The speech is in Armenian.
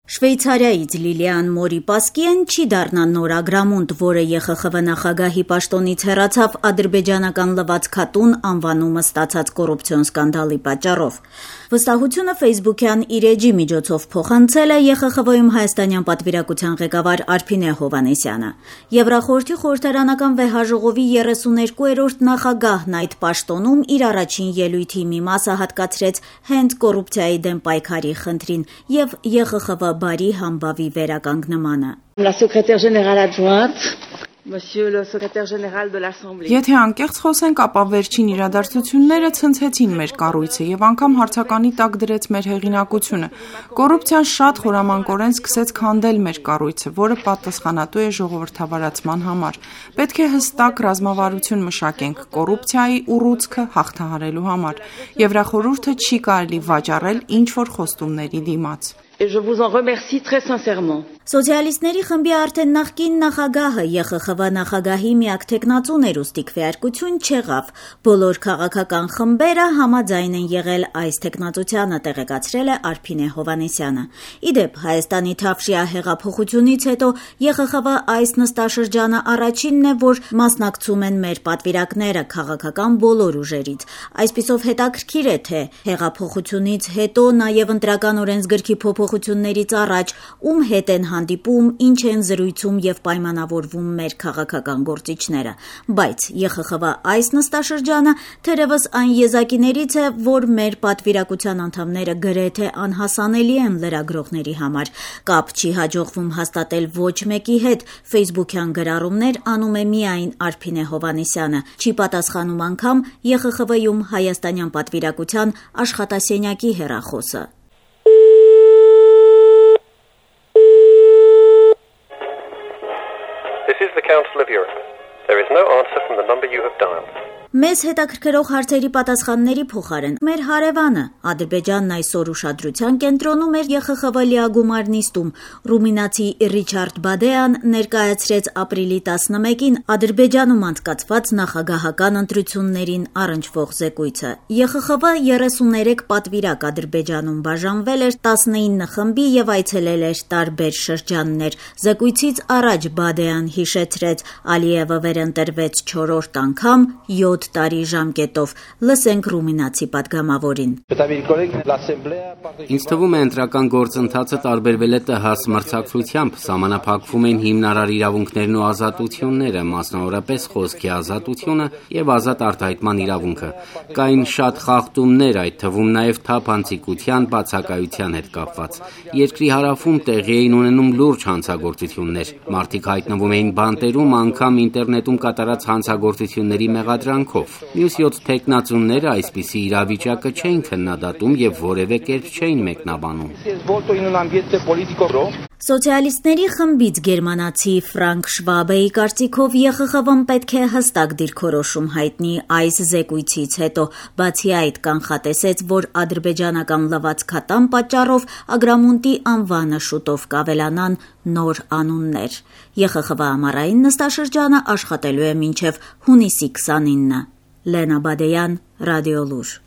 Շվեյցարիայից Լիլիան Մորի-Պասկիեն չի դառնա նոր ագրամունդ, որը ԵԽԽՎ նախագահի պաշտոնից հեռացավ ադրբեջանական լվացքատուն անվանումը ստացած կոռուպցիոն սկանդալի պատճառով։ Վստահությունը ֆեյսբուքյան իր էջի միջոցով փոխանցել է ԵԽԽՎ-ում հայաստանյան պատվիրակության ղեկավար Արփինե Հովհաննիսյանը։ Եվրախորհրդի խորհրդարանական վեհաժողովի 32-րդ նախագահն այդ պաշտոնում իր առաջին ելույթի մի մասը հատկացրեց հենց կոռուպցիայի դեմ պայքարի խնդրին եւ ԵԽԽՎ բարի համբավի վերականգնմանը։ Եթե անկեղծ խոսենք, ապա վերջին իրադարձությունները ցնցեցին մեր կառույցը եւ անգամ հարցականի տակ դրեց մեր հեղինակությունը։ Կոռուպցիան շատ խորամանկորեն սկսեց քանդել մեր կառույցը, որը պատասխանատու է ժողովրդավարացման համար։ Պետք է հստակ ռազմավարություն մշակենք կոռուպցիայի ուռուցքը հաղթահարելու համար։ Եվրախորհուրդը չի կարելի վաճառել ինչ-որ խոստումների դիմաց։ Սոցիալիստների խմբի արդեն նախկին նախագահը ԵԽԽՎ նախագահի միակ թեկնածուն էր, ուստի քվեարկություն չեղավ։ Բոլոր քաղաքական խմբերը համաձայն են եղել այս թեկնածությանը, տեղեկացրել է Արփինե Հովհաննիսյանը։ Իդեպ Հայաստանի Թավշյա հեղափոխությունից հետո ԵԽԽՎ այս նստաշրջանը առաջինն է, որ մասնակցում են մեր պատվիրակները քաղաքական բոլոր ուժերից։ Այսպիսով հետաքրքիր է, թե հեղափոխությունից հետո նաև ընտրական օրենսգրքի փոփոխություններից առաջ ում հետ են հանդիպում, ինչ են զրույցում եւ պայմանավորվում մեր քաղաքական գործիչները, բայց ԵԽԽՎ այս նստաշրջանը թերևս այն եզակիներից է, որ մեր պատվիրակության անդամները գրեթե անհասանելի են լրագրողների համար։ Կապ չի հաջողվում հաստատել ոչ մեկի հետ, ֆեյսբուքյան գրառումներ անում է միայն Արփինե Հովհաննիսյանը, չի պատասխանում անգամ ԵԽԽՎ-ում հայաստանյան պատվիրակության աշխատասենյակի հեռախոսը։ This is the Council of Europe. There is no answer from the number you have dialed. Մեզ հետաքրքրող հարցերի պատասխանների փոխարեն մեր հարևանը Ադրբեջանն այսօր ուշադրության կենտրոնում էր ԵԽԽՎ լիագումար նիստում։ Ռումինացի Ռիչարդ Բադեան ներկայացրեց ապրիլի 11-ին Ադրբեջանում անցկացված նախագահական ընտրություններին առնչվող զեկույցը։ ԵԽԽՎ 33 պատվիրակ Ադրբեջանում բաժանվել էր 19 խմբի եւ այցելել էր տարբեր շրջաններ։ Զեկույցից առաջ Բադեան հիշեցրեց, Ալիևը վերընտրվեց 4-րդ անգամ 7 տարի ժամկետով։ Լսենք ռումինացի պատգամավորին։ Ինձ թվում է ընտրական գործընթացը տարբերվել է ՏՀԱՍ մրցակցությամբ, սահմանափակվում են հիմնարար իրավունքներն ու ազատությունները, մասնավորապես խոսքի ազատությունը եւ ազատ արտահայտման իրավունքը։ Կային շատ խախտումներ, այդ թվում նաեւ թափանցիկության, բացակայության հետ կապված։ Երկրի հարավում տեղի էին ունենում լուրջ հանցագործություններ։ Մարդիկ հայտնվում էին բանտերում, անգամ ինտերնետում կատարած հանցագործությունների մեղադրանքով։ Մյուս 7 թեկնածուները այսպիսի իրավիճակը չէին քննադատում եւ որևէ կերպ չէին մեկնաբանում։ Սոցիալիստների խմբից գերմանացի Ֆրանկ Շվաբեի կարծիքով ԵԽԽՎ-ն պետք է հստակ դիրքորոշում հայտնի այս զեկույցից հետո, բացի այդ կանխատեսեց, որ ադրբեջանական լվացքատան պատճառով ագրամունտի անվանը շուտով կավելանան նոր անուններ։ ԵԽԽՎ ամառային նստաշրջանը աշխատելու է մինչև հունիսի 29-ը։ Լենա Բադեյան, Ռադիոլուր։